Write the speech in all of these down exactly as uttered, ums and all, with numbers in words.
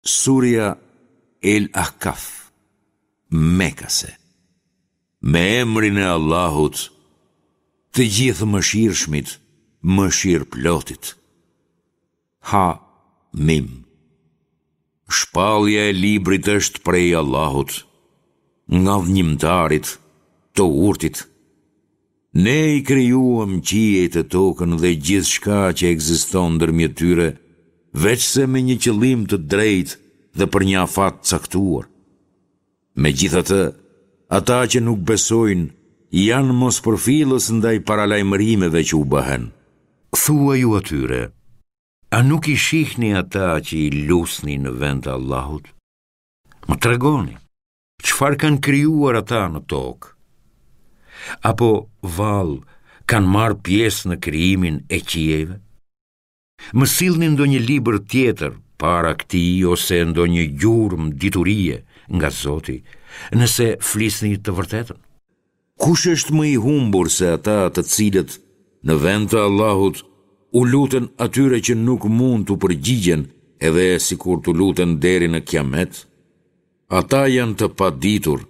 Surja El Ahkaf, Mekase. Me emrin e Allahut, të Gjithëmëshirshmit, mëshirëplotit. Ha Mim. Shpallja e librit është prej Allahut, Ngadhnjimtarit, të Urtit. Ne i krijuam qiejt e tokën dhe gjithçka që ekziston ndërmjet tyre, veçse me një qëllim të drejtë dhe për një afat të caktuar. Megjithatë, ata që nuk besojnë janë mospërfillës ndaj paralajmërimeve që u bëhen. Thuaju atyre, A nuk i shihni ata që i lusni në vend të Allahut? Më tregoni, çfarë kanë krijuar ata në tokë? Apo vallë kanë marrë pjesë në krijimin e qiejve? Më sillni ndonjë libër tjetër para këtij ose ndonjë gjurmë diturie nga Zoti, nëse flisni të vërtetën. Kush është më i humbur se ata të cilët, në vend të Allahut, u luten atyre që nuk mund t'u përgjigjen edhe sikur t'u luten deri në Kiamet? Ata janë të paditur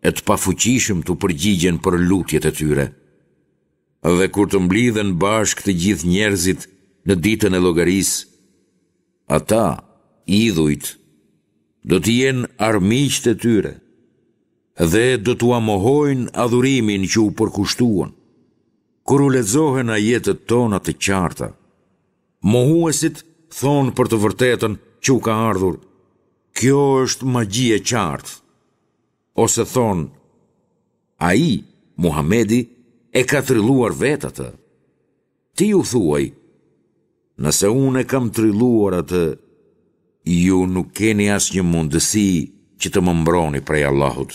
e të pafuqishëm t'u përgjigjen për lutjet e tyre. Dhe kur të mblidhen bashkë të gjithë njerëzit në ditën e llogarisë, ata, idhujt, do të jenë armiqtë e tyre dhe do t'ua mohojnë adhurimin që u përkushtuan. Kur u lexohen ajetet tona të qarta, mohuesit thonë për të vërtetën që u ka ardhur, kjo është magji e qartë. Ose thonë, ai, Muhamedi, e ka trilluar vetë atë. Ti u thuaj, nëse unë e kam trilluar atë, ju nuk keni asnjë mundësi që të më mbroni prej Allahut.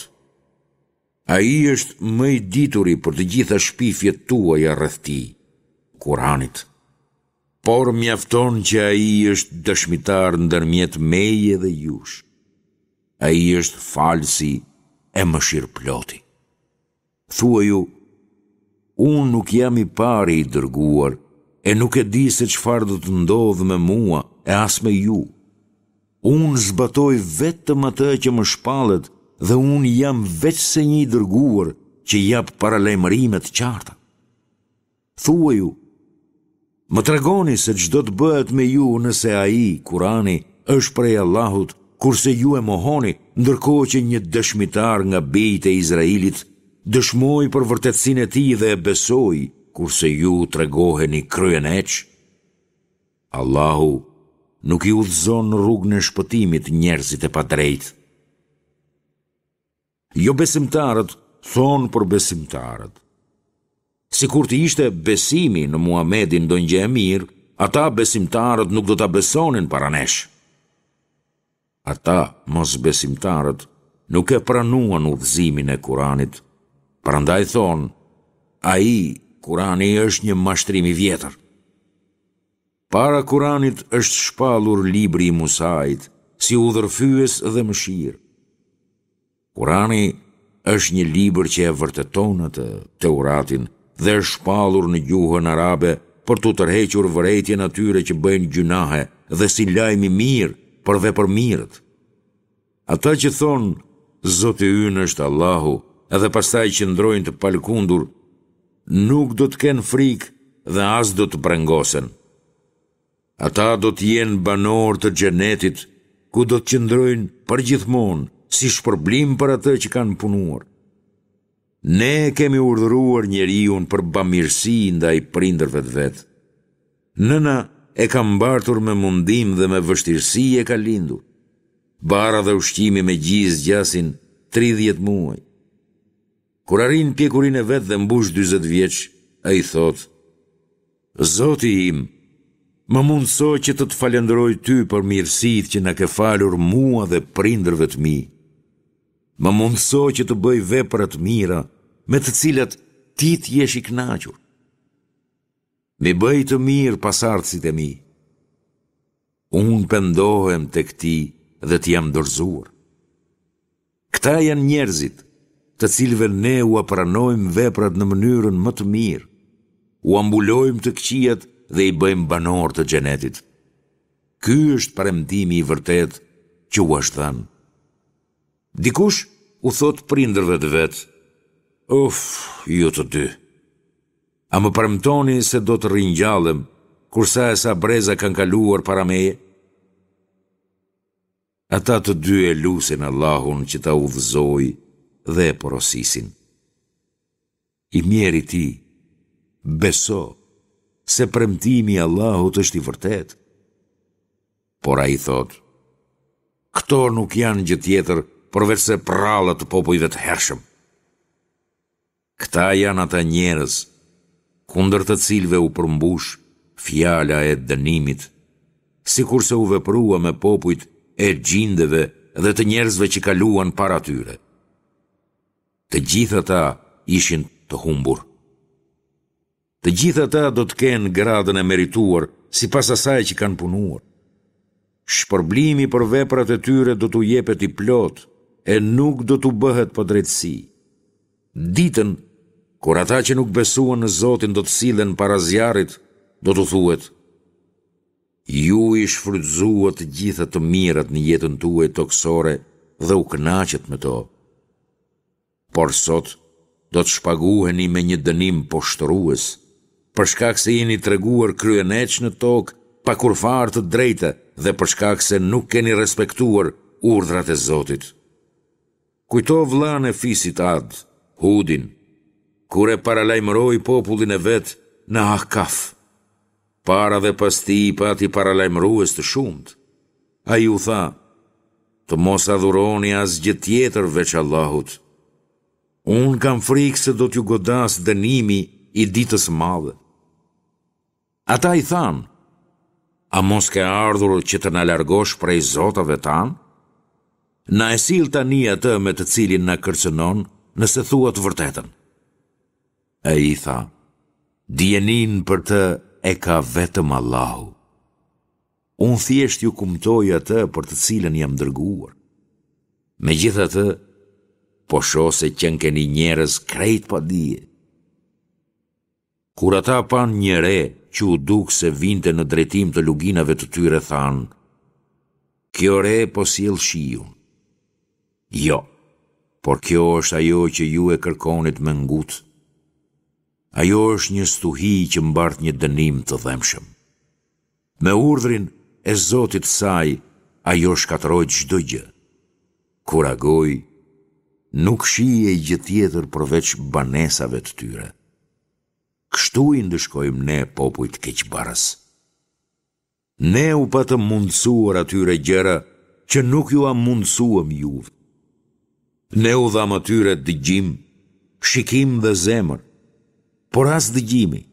Ai është më i dituri për të gjitha shpifjet tuaja rreth tij, Kur'anit. Por mjafton që ai është dëshmitar ndërmjet meje dhe jush. Ai është falësi e mëshirëploti. Thuaju, unë nuk jam i pari i dërguar e nuk e di se çfarë do të ndodhë me mua e as me ju. Unë zbatoj vetëm atë që më shpallet dhe unë jam veçse një i dërguar që jap paralajmërime të qarta. Thuaju, më tregoni se ç'do të bëhet me ju nëse ai, Kurani, është prej Allahut, kurse ju e mohoni, ndërkohë që një dëshmitar nga bijtë e Izraelit dëshmoi për vërtetësinë e tij dhe e besoi, kurse ju tregoheni kryeneç. Allahu nuk i udhëzon në rrugën e shpëtimit njerëzit e padrejtë. Jobesimtarët thonë për besimtarët. Sikur të ishte besimi në Muhamedin ndonjë gjë e mirë, ata besimtarët nuk do ta besonin para nesh. Ata, mosbesimtarët, nuk e pranuan udhëzimin e Kuranit, prandaj thonë, ai, Kurani është një mashtrim i vjetër. Para Kuranit është shpallur libri i Musait, si udhërrëfyes dhe mëshirë. Kurani është një libër që e vërteton atë, Teuratin, dhe është shpallur në gjuhën arabe për t'u tërhequr vërejtjen atyre që bëjnë gjynahe dhe si lajm i mirë për vepërmirët. Ata që thonë, Zoti ynë është Allahu, edhe pastaj qëndrojnë të palëkundur, nuk do të kenë frikë dhe as do të brengosen. Ata do të jenë banorë të xhenetit, ku do të qëndrojnë përgjithmonë si shpërblim për atë që kanë punuar. Ne e kemi urdhëruar njeriun për bamirësi ndaj prindërve të vet. Nëna e ka mbartur me mundim dhe me vështirësi e ka lindur. Barra dhe ushqimi me gji zgjasin tridhjetë muaj. Kur arrin pjekurinë e vet dhe mbush dyzet vjeç, ai thotë, Zoti im, më mundëso që të të falënderoj ty për mirësitë që na ke falur mua dhe prindërve të mi. Më mundëso që të bëj vepra të mira, me të cilat ti të jesh i kënaqur. M'i bëj të mirë pasardhësit e mi. Unë pendohem tek ti dhe të jam dorëzuar. Këta janë njerëzit, të cilëve ne ua pranojmë veprat në mënyrën më të mirë, ua mbulojmë të këqijat dhe i bëjmë banorë të xhenetit. Ky është premtimi i vërtetë që u është dhënë. Dikush u thotë prindërve të vet, Uf, ju të dy. A më premtoni se do të ringjallem, kur sa e sa breza kanë kaluar para meje? Ata të dy e lusin Allahun që ta udhëzojë dhe e porosisin. I mjeri ti, beso se premtimi i Allahut është i vërtetë. Por ai thotë, këto nuk janë gjë tjetër përveçse përralla të popujve të hershëm. Këta janë ata njerëz, kundër të cilëve u përmbush fjala e dënimit, sikurse u veprua me popujt e xhindeve dhe të njerëzve që kaluan para tyre. Të gjithë ata ishin të humbur. Të gjithë ata do të kenë gradën e merituar sipas asaj që kanë punuar. Shpërblimi për veprat e tyre do t'u jepet i plotë e nuk do t'u bëhet padrejtësi. Ditën, kur ata që nuk besuan në Zotin do të sillen para zjarrit, do t'u thuhet: Ju i shfrytëzuat të gjitha të mirat në jetën tuaj tokësore dhe u kënaqët me to. Por sot do të shpaguheni me një dënim poshtërues, për shkak se jeni treguar kryeneç në tokë pa kurrfarë të drejte dhe për shkak se nuk keni respektuar urdhrat e Zotit. Kujto vëllanë e fisit Ad, Hudin, kur e paralajmëroi popullin e vet në Ahkaf. Para dhe pas tij pati paralajmërues të shumtë. Ai u tha, të mos adhuroni asgjë tjetër veç Allahut. Unë kam frikë se do t'ju godasë dënimi i ditës së madhe. Ata i thanë, a mos ke ardhur që të na largosh prej zotave tanë? Na e sill tani atë me të cilin na kërcënon, nëse thua të vërtetën. Ai i tha, dijeninë për të e ka vetëm Allahu. Unë thjesht ju kumtoj atë për të cilën jam dërguar. Megjithatë, po shoh se qenkeni njerëz krejt pa dije. Kur ata panë një re që u duk se vinte në drejtim të luginave të tyre, thanë, kjo re po sjell shiun. Jo, por kjo është ajo që ju e kërkonit me ngut. Ajo është një stuhi që mbart një dënim të dhembshëm. Me urdhrin e Zotit të saj, ajo shkatërroi çdo gjë. Kur agoi, nuk shihej gjë tjetër përveç banesave të tyre. Kështu i ndëshkojmë ne popujt keqbërës. Ne u patëm mundësuar atyre gjëra që nuk jua mundësuam juve. Ne u dhamë atyre dëgjim, shikim dhe zemër, por as dëgjimi,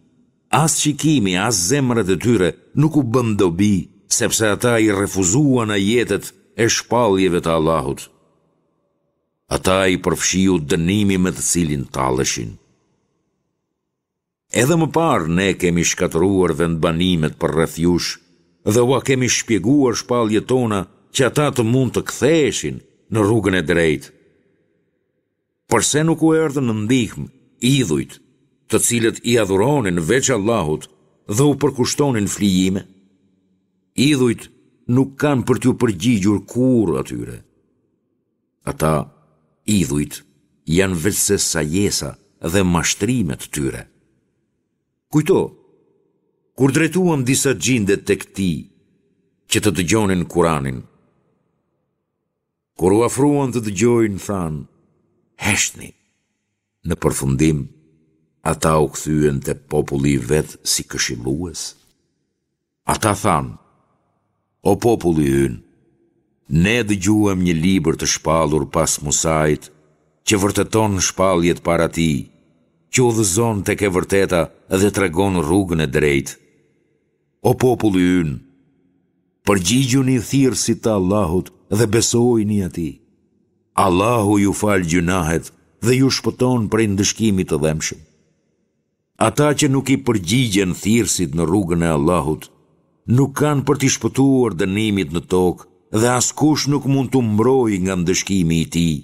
as shikimi, as zemrat e tyre nuk u bënë dobi, sepse ata i refuzuan ajetet e shpalljeve të Allahut. Ata i përfshiu dënimi me të cilin talleshin. Edhe më parë ne kemi shkatërruar vendbanimet përreth jush dhe ua kemi shpjeguar shpalljet tona që ata të mund të ktheheshin në rrugën e drejtë. Përse nuk u erdhën në ndihmë idhujt, të cilët i adhuronin veç Allahut dhe u përkushtonin flijime? Idhujt nuk kanë për t'iu përgjigjur kurrë atyre. Ata, idhujt, janë veçse sajesa dhe mashtrime të tyre. Kujto, kur drejtuam disa xhinde tek ti, që të dëgjonin Kuranin, kur u afruan të dëgjojnë, thanë, heshtni. Në përfundim, ata u kthyen te populli i vet si këshillues. Ata thanë, o populli ynë, ne dëgjuam një libër të shpallur pas Musait, që vërteton shpalljet para tij, që udhëzon tek e vërteta dhe tregon rrugën e drejtë. O populli ynë, përgjigjuni thirrësit të Allahut dhe besojini atij. Allahu ju fal gjynahet dhe ju shpëton prej ndëshkimit të dhembshëm. Ata që nuk i përgjigjen thirrësit në rrugën e Allahut, nuk kanë për t'i shpëtuar dënimit në tokë dhe askush nuk mund t'u mbrojë nga ndëshkimi i tij.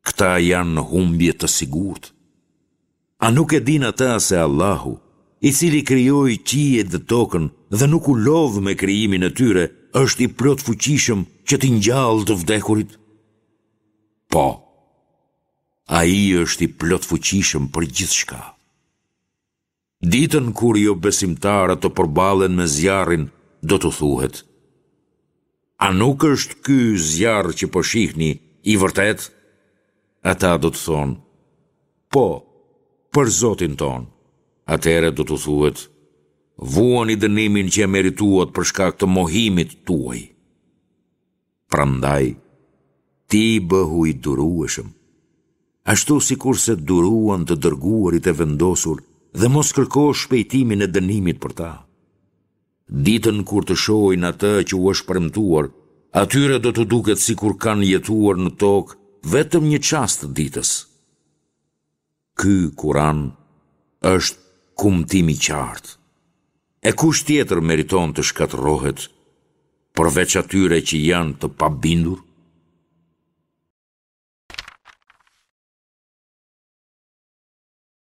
Këta janë në humbje të sigurt. A nuk e dinë ata se Allahu, i cili krijoi qiejt dhe tokën dhe nuk u lodh me krijimin e tyre, është i plotfuqishëm që t'i ngjallë të vdekurit? Po, Ai është i plotfuqishëm për gjithçka. Ditën kur jobesimtarët të përballen me zjarrin, do t'u thuhet, A nuk është ky zjarr që po shihni i vërtetë? Ata do të thonë, Po, për Zotin tonë. Atëherë do t'u thuhet, Vuani dënimin që e merituat për shkak të mohimit tuaj. Prandaj, ti bëhu i durueshëm, ashtu sikurse duruan të dërguarit e vendosur dhe mos kërko shpejtimin e dënimit për ta. Ditën kur të shohin atë që u është premtuar, atyre do t'u duket sikur kanë jetuar në tokë vetëm një çast të ditës. Ky Kuran është kumtim i qartë. E kush tjetër meriton të shkatërrohet, përveç atyre që janë të pabindur?